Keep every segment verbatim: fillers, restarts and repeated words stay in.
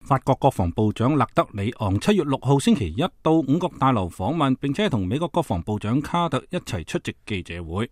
法國國防部長勒德里昂七月六號星期一到五角大樓訪問，並且同美國國防部長卡特一齊出席記者會。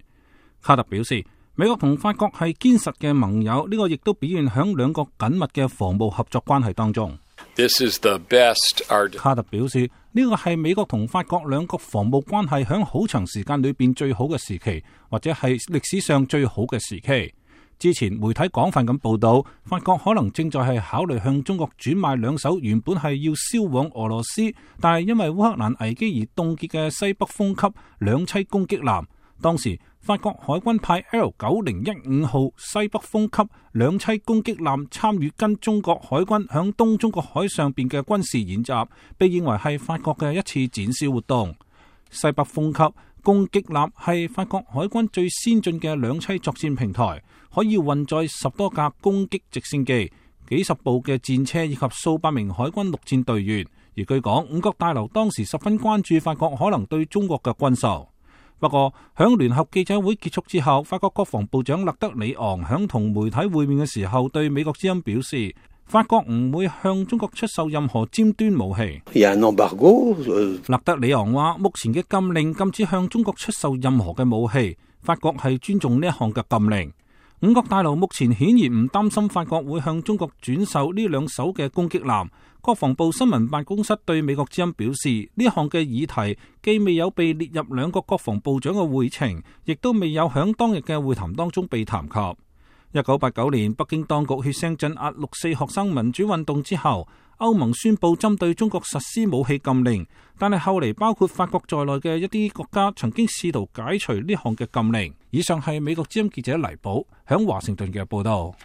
卡特表示，美國同法國係堅實嘅盟友，呢個亦都表現響兩國緊密嘅防務合作關係當中。This is the best our... 卡特表示，呢個係美國同法國兩國防務關係響好長時間裏邊最好嘅時期，或者係歷史上最好嘅時期。之前媒體廣泛咁報道，法國可能正在係考慮向中國轉賣兩艘原本係要銷往俄羅斯，但係因為烏克蘭危機而凍結嘅西北風級兩棲攻擊艦。當時法國海軍派 L 九零一五號西北風級兩棲攻擊艦參與跟中國海軍響東中國海上邊嘅軍事演習，被認為係法國嘅一次展示活動。西北風級攻擊艦係法國海軍最先進嘅兩棲作戰平台，可以運載十多架攻擊直升機、幾十部嘅戰車以及數百名海軍陸戰隊員。而據講，五角大樓當時十分關注法國可能對中國嘅軍售。不過，響聯合記者會結束之後，法國國防部長勒德里昂響同媒體會面嘅時候，對美國之音表示，法國唔會向中國出售任何尖端武器。勒德里昂話，目前嘅禁令禁止向中國出售任何嘅武器，法國係尊重呢一項嘅禁令。五角大樓目前顯然唔擔心法國會向中國轉售呢兩艘嘅攻擊艦。國防部新聞辦公室對美國之音表示，呢項嘅議題既未有被列入兩國國防部長嘅會程，亦都未有響當日嘅會談當中被談及。一九八九年，北京當局血腥鎮壓六四學生民主運動之後，歐盟宣布針對中國實施武器禁令，但係後嚟包括法國在內嘅一啲國家曾經試圖解除呢項嘅禁令。以上係美國之音記者黎寶響華盛頓嘅報道。